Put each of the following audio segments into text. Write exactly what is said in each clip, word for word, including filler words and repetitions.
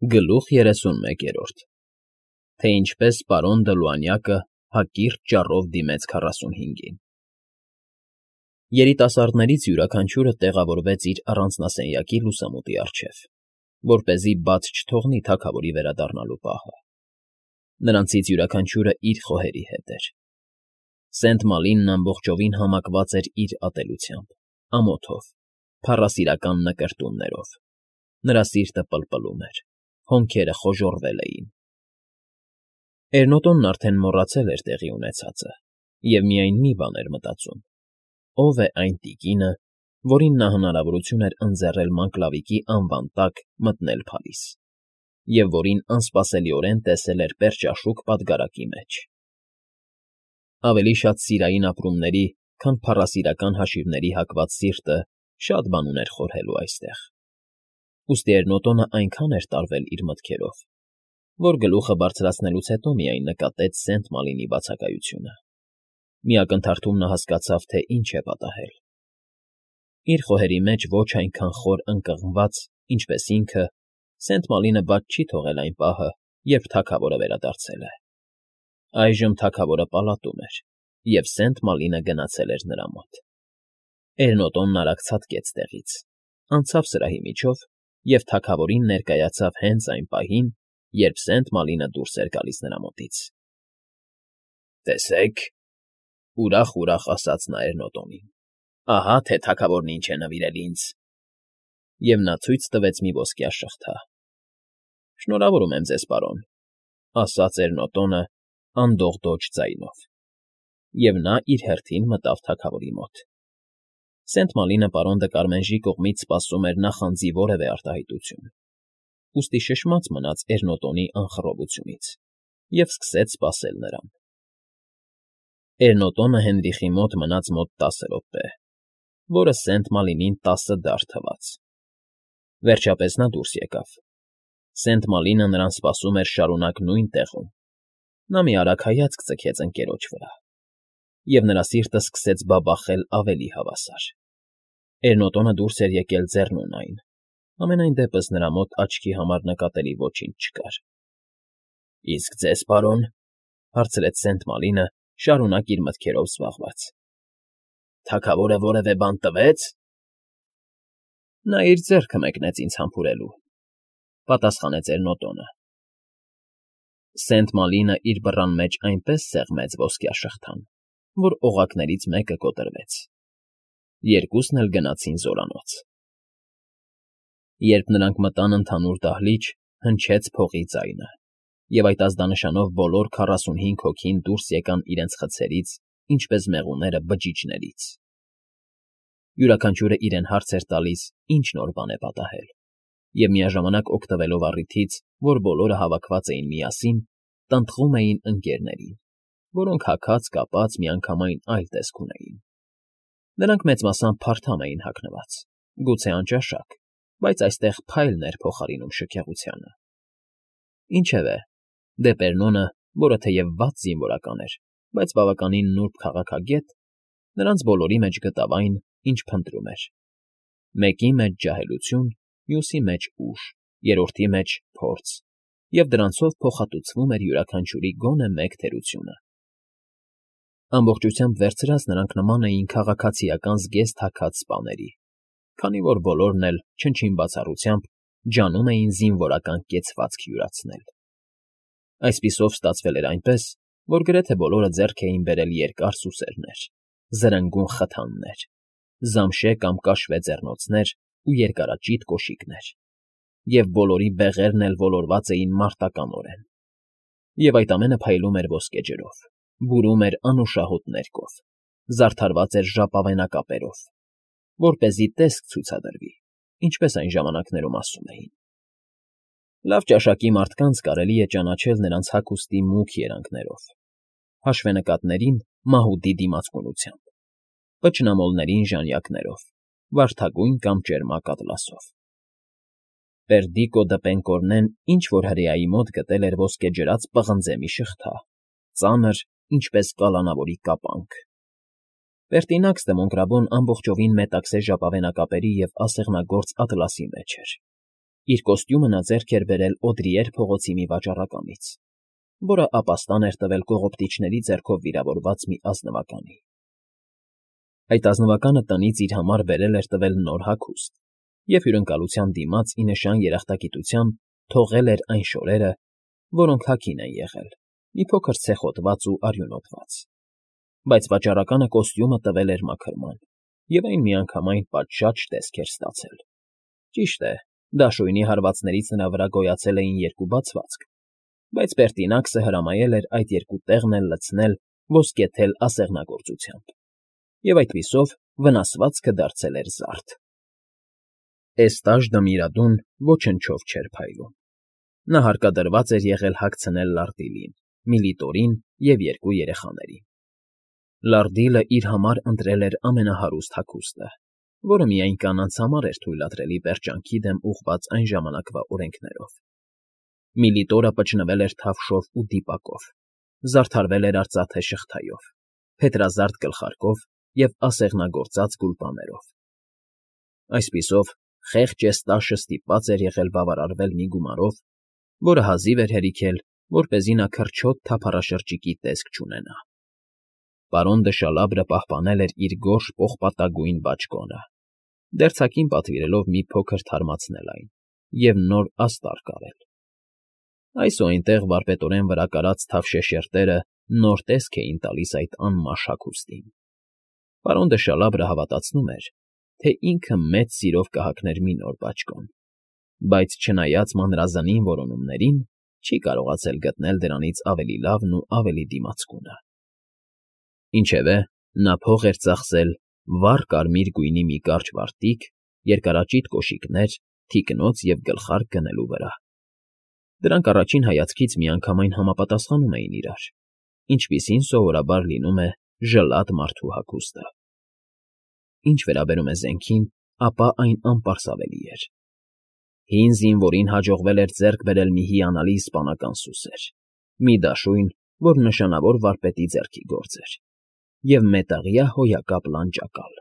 Գլուխ երեսունմեկերորդ Թե ինչպես պարոն Դլուանյակը հակիրճ ճառով դիմեց քառասունհինգին Երիտասարդներից յուրաքանչյուրը տեղավորվեց իր առանձնասենյակի լուսամուտի առջև, որպեսզի բաց չթողնի թագավորի վերադառնալու պահը. նրանցից յուրաքանչյուրը իր խոհերի հետ էր. Սենթ Մալինն ամբողջովին համակված էր իր ատելությամբ, ամոթով, փառասիրական նկրտումներով, նրա սիրտը պլպլում էր, հոնքերը խոժոռվել էին. Էրնոտոնն արդեն մոռացել էր տեղի ունեցածը և միայն մի բան էր մտածում. ով է այն տիկինը, որին նա հնարավորություն էր ընձեռել Մանկլավիկի անվան տակ մտնել փարիզ, և որին անսպասելիորեն տեսել էր պերճաշուք պատգարակի մեջ. ավելի շատ սիրային ապրումների, քան փառասիրական հաշիվների հակված սիրտը շատ բան ուներ խորհելու այստեղ, ուստի Էրնոտոնը այնքան էր տարվել իր մտքերով, որ գլուխը բարձրացնելուց հետո միայն նկատեց Սենթ Մալինի բացակայությունը. մի ակնթարթում նա հասկացավ, թե ինչ է պատահել. իր խոհերի մեջ ոչ այնքան խոր ընկղմված, ինչպես ինքը, Սենթ Մալինը բաց չի թողել այն պահը, երբ թագավորը վերադարձել է. այժմ թագավորը պալատում էր, և Սենթ Մալինը գնացել էր նրա մոտ. Էրնոտոնն արագ ցատկեց տեղից, անցավ սրահի միջով և թագավորին ներկայացավ հենց այն պահին, երբ Սենթ Մալինը դուրս էր գալիս նրա մոտից։ ֊ Տեսեք,֊ ուրախ֊ուրախ ասաց նա Էրնոտոնին,֊ ահա թե թագավորն ինչ է նվիրել ինձ… Եվ նա ցույց տվեց մի ոսկյա շղթա։ ֊ Շնորհավորում եմ ձեզ, պարոն,֊ ասաց Էրնոտոնը անդողդոջ ձայնով, և նա իր հերթին մտավ թագավորի մոտ։ Սենթ Մալինը պարոն Դկարմենժի կողմից սպասում էր նախանձի որևէ արտահայտություն, ուստի շշմած մնաց Էրնոտոնի անխռովությունից և սկսեց սպասել նրան։ Էրնոտոնը Հենրիխի մոտ մնաց մոտ տասը րոպե, որը Սենթ Մալինին տասը դար թվաց։ Վերջապես նա դուրս եկավ։ Սենթ Մալինը նրան սպասում էր շարունակ նույն տեղում։ Նա մի արագ հայացք ձգեց ընկերոջ վրա, և նրա սիրտը սկսեց բաբախել ավելի հավասար։ Էրնոտոնը դուրս էր եկել ձեռնուն այն, համենայն դեպս նրա մոտ աչքի համար նկատելի ոչինչ չկար։ ֊ Իսկ ձեզ, պարոն,֊ հարցրեց Սենթ Մալինը, շարունակ իր մտքերով զբաղված,֊ թագավորը որևէ բան տվե՞ց։ ֊ Նա իր ձեռքը մեկնեց ինձ համբուրելու,֊ պատասխանեց Էրնոտոնը։ Սենթ Մալինը իր բռան մեջ այնպես սեղմեց ոսկյա շղթան, որ օղակներից մեկը կոտրվեց։ Երկուսն էլ գնացին զորանոց։ Երբ նրանք մտան ընդհանուր դահլիճ, հնչեց փողի ձայնը, և այդ ազդանշանով բոլոր քառասունհինգ հոգին դուրս եկան իրենց խցերից, ինչպես մեղուները բջիջներից։ Յուրաքանչյուրը իրեն հարց էր տալիս, ինչ նոր բան է պատահել, և միաժամանակ օգտվելով առիթից, որ բոլորը հավաքված էին միասին, տնտղում էին ընկներներին, որոնք հագած֊կապած միանգամայն այլ տեսք ունեին։ Նրանք մեծ մասամբ փարթամ էին հագնված, գուցե անճաշակ, բայց այստեղ փայլն էր փոխարինում շքեղությանը։ Ինչևէ, Դեպերնոնը, որը թեև վատ զինվորական էր, բայց բավականին նուրբ քաղաքագետ, նրանց բոլորի մեջ գտավ այն, ինչ փնտրում էր. մեկի մեջ ջահելություն, մյուսի մեջ ուժ, երրորդի մեջ փորձ, և դրանցով փոխհատուցվում էր յուրաքանչյուրի գոնե մեկ թերությունը։ Ամբողջությամբ վերցրած նրանք նման էին քաղաքացիական զգեստ հագած սպաների, քանի որ բոլորն էլ, չնչին բացառությամբ, ջանում էին զինվորական կեցվածք յուրացնել։ Այսպիսով ստացվել էր այնպես, որ գրեթե բոլորը ձեռք էին բերել երկար սուսերներ, զրնգուն խթաններ, զամշե կամ կաշվե ձեռնոցներ ու երկարաճիտ կոշիկներ, և բոլորի բեղերն էլ ոլորված էին մարտականորեն։ Եվ այդ ամենը փայլում էր ոսկե ջրով, բուրում էր անուշահոտ ներկով, զարդարված էր ժապավենակապերով, որպեսզի տեսք ցուցադրվի, ինչպես այն ժամանակներում ասում էին։ Լավ ճաշակի մարդկանց կարելի է ճանաչել նրանց հագուստի մուգ երանգներով, հաշվենկատներին մահուդի դիմացկունությամբ, պճնամոլներին ժանյակներով, վարդագույն կամ ճերմակ ատլասով։ Պերդիկո դը Պենկորնեն ինչ֊որ հրեայի մոտ գտել էր ոսկեջրած պղնձե մի շղթա, ծանր, ինչպես կալանավորի կապանք։ Պերտինաքս դը Մոնկրաբոն ամբողջովին մետաքսե ժապավենակապերի և ասեղնագործ ատլասի մեջ էր։ Իր կոստյումը նա ձեռք էր բերել Օդրիեր փողոցի մի վաճառականից, որը ապաստան էր տվել կողոպտիչների ձեռքով վիրավորված մի ազնվականի։ Այդ ազնվականը տնից իր համար բերել էր տվել նոր հագուստ և հյուրընկալության դիմաց ի նշան երախտագիտության թողել էր այն շորերը, որոնք հագին են եղել, մի փոքր ցեխոտված ու արյունոտված, բայց վաճառականը կոստյումը տվել էր մաքրման, և այն միանգամայն պատշաճ տեսք էր ստացել։ Ճիշտ է, դաշույնի հարվածներից նրա վրա գոյացել էին երկու բացվածք, բայց Պերտինաքսը հրամայել էր այդ երկու տեղն էլ լցնել ոսկեթել ասեղնագործությամբ, և այդպիսով վնասվածքը դարձել էր զարդ։ Էստաժ֊Դմիրադուն ոչնչով չէր փայլում։ Նա հարկադրված էր եղել հագցնել Լարդիլին, Միլիտորին և երկու երեխաներին։ Լարդիլը իր համար ընտրել էր ամենահարուստ հագուստը, որը միայն կանանց համար էր թույլատրելի պերճանքի դեմ ուղղված այն ժամանակվա օրենքներով։ Միլիտորը պճնվել էր թավշով ու դիպակով, զարդարվել էր արծաթե շղթայով, փետրազարդ գլխարկով և ասեղնագործած գուլպաներով։ Այսպիսով, խեղճ Էստաշը ստիպված էր եղել բավարարվել մի գումարով, որը հազիվ էր հերիքել, որպեսզի նա քրչոտ թափառաշրջիկի տեսք չունենա։ Պարոն դը Շալաբրը պահպանել էր իր գորշ պողպատագույն բաճկոնը, դերձակին պատվիրելով մի փոքր թարմացնել այն և նոր աստար կարել։ Այս ու այնտեղ վարպետորեն վրա կարած թավշե շերտերը նոր տեսք էին տալիս այդ անմաշ հագուստին։ Պարոն դը Շալաբրը հավատացնում էր, թե ինքը մեծ սիրով կհագներ մի նոր բաճկոն, բայց չնայած մանրազնին որոնումներին, չի կարողացել գտնել դրանից ավելի լավն ու ավելի դիմացկունը։ Ինչևէ, նա փող էր ծախսել վառ կարմիր գույնի մի կարճ վարտիք, երկարաճիտ կոշիկներ, թիկնոց և գլխարկ գնելու վրա։ Դրանք առաջին հայացքից միանգամայն համապատասխանում էին իրար, ինչպիսին սովորաբար լինում է ժլատ մարդու հագուստը։ Ինչ վերաբերում է զենքին, ապա այն անպարսավելի էր։ Հին զինվորին հաջողվել էր ձեռք բերել մի հիանալի իսպանական սուսեր, մի դաշույն, որ նշանավոր վարպետի ձեռքի գործ էր, և մետաղյա հոյակապ լանջակալ։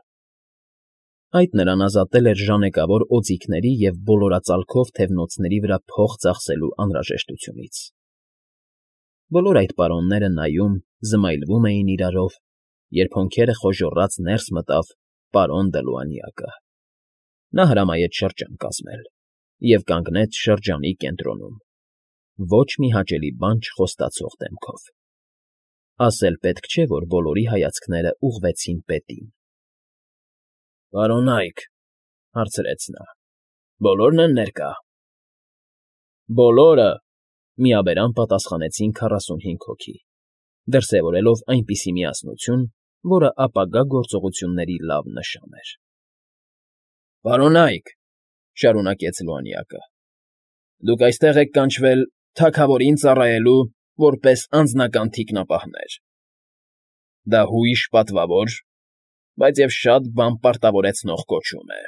Այդ նրան ազատել էր ժանեկավոր օձիքների և բոլորածալքով թևնոցների վրա փող ծախսելու անհրաժեշտությունից։ Բոլոր այդ պարոնները նայում, զմայլվում էին իրարով, երբ հոնքերը խոժոռած ներս մտավ պարոն Դելուանյակը։ Նա հրամայեց շրջան կազմել և կանգնեց շրջանի կենտրոնում, ոչ մի հաճելի բան չխոստացող դեմքով։ Ասել պետք չէ, որ բոլորի հայացքները ուղղվեցին պետին։ ֊ Պարոն Այք,֊ հարցրեց նա,֊ բոլորն են ներկա։ ֊ Բոլորը,֊ միաբերան պատասխանեցին քառասունհինգ հոգի, դրսևորելով այնպիսի միասնություն, որը ապագա գործողությունների լավ նշան էր։ ֊ Պարոն Այք,֊ շարունակեց Լուանյակը,֊ դուք այստեղ եք կանչվել թագավորին ծառայելու որպես անձնական թիկնապահներ։ Դա հույժ պատվավոր, բայց և շատ բան պարտավորեցնող կոչում է։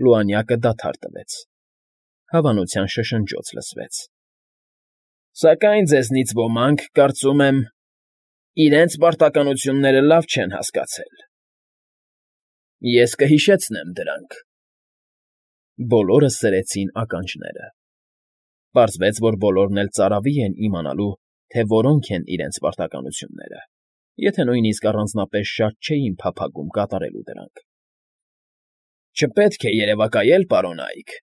Լուանյակը դադար տվեց։ Հավանության շշնջոց լսվեց։ Սակայն ձեզնից ոմանք, կարծում եմ, իրենց պարտականությունները լավ չեն հասկացել։ Ես կհիշեցնեմ դրանք։ Բոլորը սրեցին ականջները։ Պարզվեց, որ բոլորն էլ ծարավի են իմանալու, թե որոնք են իրենց պարտականությունները, եթե նույնիսկ առանձնապես շատ չէին փափագում կատարելու դրանք։ Չպետք է երևակայել, պարոն Այք,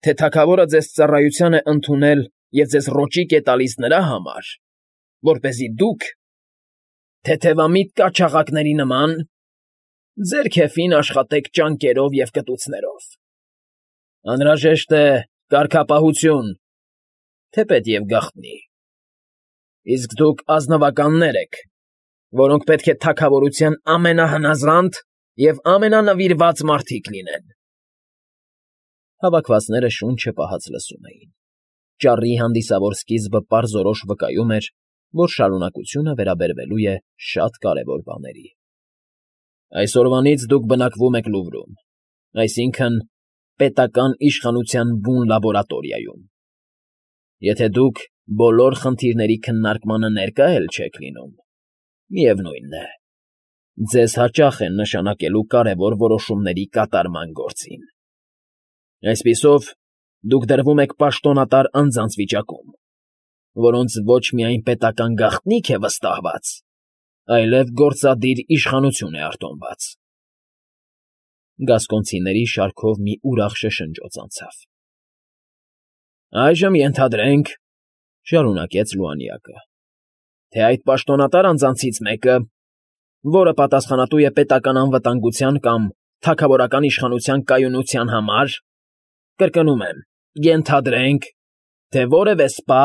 թե թագավորը ձեզ ծառայության է ընդունել և ձեզ ռոճիկ է տալիս նրա համար, որպեսզի դուք, թեթևամիտ կաչաղակների նման, ձեր քեֆին աշխատեք ճանկերով և կտուցներով։ Անհրաժեշտ է կարգապահություն, թեպետ և գաղտնի։ Իսկ դուք ազնվականներ եք, որոնք պետք է թագավորության ամենահնազանդ և ամենանվիրված մարդիկ լինեն։ Հավաքվածները շունչը պահած լսում էին։ Ճառի հանդիսավոր սկիզբը պարզորոշ վկայում էր, որ շարունակությունը վերաբերվելու է շատ կարևոր բաների։ Այսօրվանից դուք բնակվում եք Լուվրում, այսինքն՝ պետական իշխանության բուն լաբորատորիայում։ Եթե դուք բոլոր խնդիրների քննարկմանը ներկա էլ չեք լինում, միևնույն է, ձեզ հաճախ են նշանակելու կարևոր որոշումների կատարման գործին։ Այսպիսով, դուք դրվում եք պաշտոնատար անձանց վիճակում, որոնց ոչ միայն պետական գաղտնիք է վստահված, այլև գործադիր իշխանություն է արտոնված… Գասկոնցիների շարքով մի ուրախ շշնջոց անցավ։ ֊ Այժմ ենթադրենք,֊ շարունակեց Լուանյակը,֊ թե այդ պաշտոնատար անձանցից մեկը, որը պատասխանատու է պետական անվտանգության կամ թագավորական իշխանության կայունության համար, կրկնում եմ, ենթադրենք, թե որևէ սպա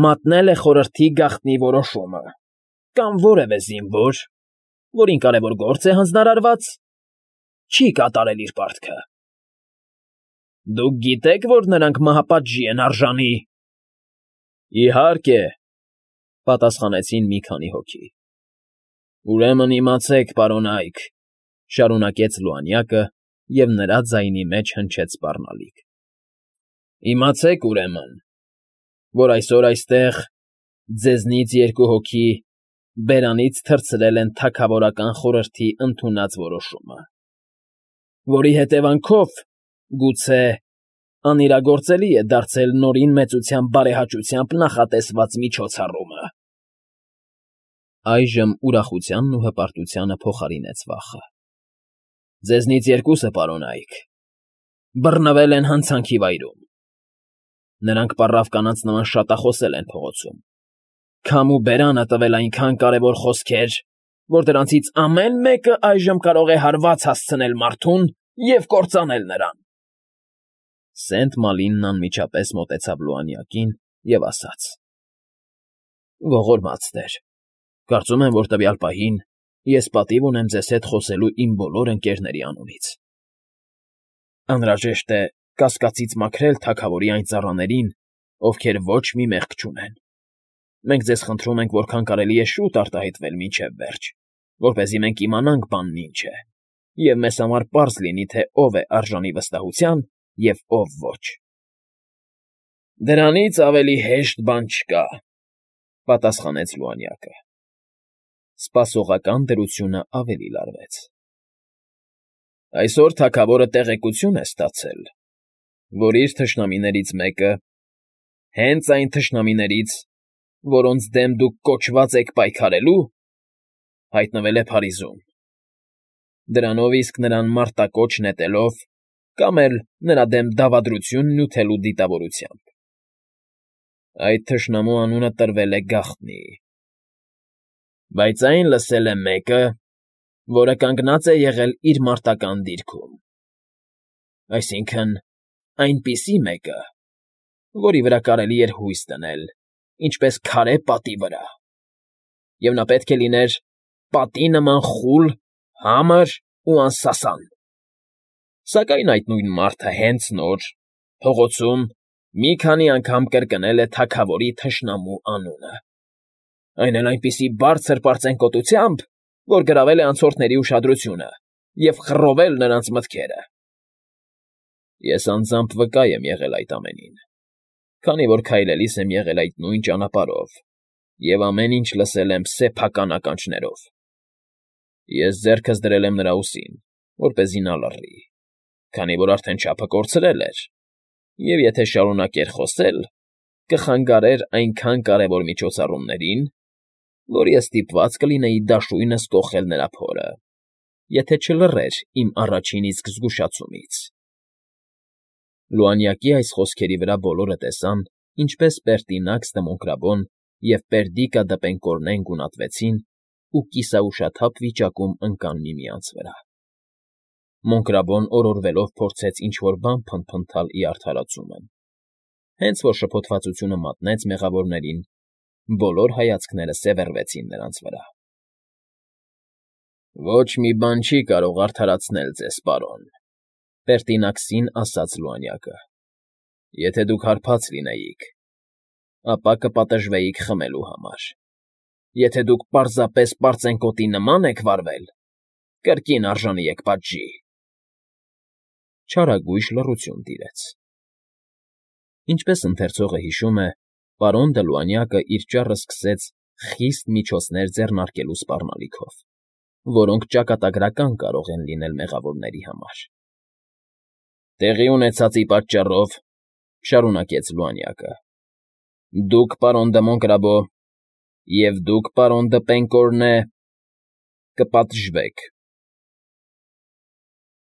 մատնել է խորհրդի գաղտնի որոշումը կամ որևէ զինվոր, որին կարևոր գործ է հանձնարարված, չի կատարել իր պարտքը… Դուք գիտե՞ք, որ նրանք մահապատժի են արժանի։ ֊ Իհարկե,֊ պատասխանեցին մի քանի հոգի։ ֊ Ուրեմն իմացեք, պարոն Այք,֊ շարունակեց Լուանյակը, և նրա ձայնի մեջ հնչեց սպառնալիք,֊ իմացեք, ուրեմն, որ այսօր այստեղ ձեզնից երկու հոգի բերանից թռցրել են թագավորական խորհրդի ընդունած որոշումը, որի հետևանքով, գուցե, անիրագործելի է դարձել Նորին Մեծության բարեհաճությամբ նախատեսված միջոցառումը… Այժմ ուրախությանն ու հպարտությանը փոխարինեց վախը։ ֊ Ձեզնից երկուսը, պարոն Այք, բռնվել են հանցանքի վայրում. նրանք պառավ կանանց նման շատախոսել են փողոցում, քամ ու բերանը տվել այնքան կարևոր խոսքեր, որ դրանցից ամեն մեկը այժմ կարող է հարված հասցնել մարդուն և կործանել նրան… Սենտ Մալինն անմիջապես մոտեցավ Լուանյակին և ասաց. ֊ Ողորմած տեր, կարծում եմ, որ տվյալ պահին ես պատիվ ունեմ ձեզ հետ խոսելու իմ բոլոր ընկերների անունից… Անհրաժեշտ է կասկածից մաքրել թագավորի այն ծառաներին, ովքեր ոչ մի մեղք չունեն… Մենք ձեզ խնդրում ենք որքան կարելի է շուտ արտահայտվել մինչև վերջ, որպեսզի մենք իմանանք բանն ինչ է, և մեզ համար պարզ լինի, թե ով է արժանի վստահության, և ով ոչ… ֊ Դրանից ավելի հեշտ բան չկա,֊ պատասխանեց Լուանյակը։ Սպասողական դրությունը ավելի լարվեց։ ֊ Այսօր թագավորը տեղեկություն է ստացել, որ իր թշնամիներից մեկը, հենց այն թշնամիներից, որոնց դեմ դուք կոչված եք պայքարելու, հայտնվել է Փարիզում, դրանով իսկ նրան մարտակոչ նետելով կամ էլ նրա դեմ դավադրություն նյութելու դիտավորությամբ… Այդ թշնամու անունը տրվել է Գաղտնի, բայց այն լսել է մեկը, որը կանգնած է եղել իր մարտական դիրքում, այսինքն՝ այնպիսի մեկը, որի վրա կարելի էր հույս դնել, ինչպես քարե պատի վրա, և նա պետք է լիներ պատի նման խուլ, համր ու անսասան… Սակայն այդ նույն մարդը հենց նոր, փողոցում մի քանի անգամ կրկնել է թագավորի թշնամու անունը, այն էլ այնպիսի բարձր պարծենկոտությամբ, որ գրավել է անցորդների ուշադրությունը և խռովել նրանց մտքերը… Ես անձամբ վկա եմ եղել այդ ամենին, քանի որ քայլելիս եմ եղել այդ նույն ճանապարհով և ամեն ինչ լսել եմ սեփական ականջներով… Ես ձեռքս դրել եմ նրա ուսին, որպեսզի նա լռի, քանի որ արդեն չափը կորցրել էր, և եթե շարունակեր խոսել, կխանգարեր այնքան կարևոր միջոցառումներին, որ ես ստիպված կլինեի դաշույնս կոխել նրա փորը, եթե չլռեր իմ առաջին իսկ զգուշացումից… Լուանյակի այս խոսքերի վրա բոլորը տեսան, ինչպես Պերտինաքս դմոնկրաբոն և Պերդիկա դպենկորնեն գունատվեցին ու կիսաուշաթափ վիճակում ընկան միմյանց վրա… Մոնկրաբոն օրորվելով փորձեց ինչ֊որ բան փնթփնթալ ի արդարացումը, հենց որ շփոթվածությունը մատնեց մեղավորներին, բոլոր հայացքները սևեռվեցին նրանց վրա։ ֊ Ոչ մի բան չի կարող արդարացնել ձեզ, պարոն,֊ Պերտինաքսին ասաց Լուանյակը,֊ եթե դուք հարբած լինեիք, ապա կպատժվեիք խմելու համար, եթե դուք պարզապես պարծենկոտի նման եք վարվել, կրկին արժանի եք պատժի… Չարագույժ լռություն տիրեց։ Ինչպես ընթերցողը հիշում է, պարոն Դը Լուանյակը իր ճառը սկսեց խիստ միջոցներ ձեռնարկելու սպառնալիքով, որոնք ճակատագրական կարող են լինել մեղավորների համար։ Տեղի ունեցածի պատճառով,֊ շարունակեց Լուանյակը,֊ դուք, պարոն դը Մոնկրաբո, և դուք, պարոն դը Պենկորնե, կպատժվեք։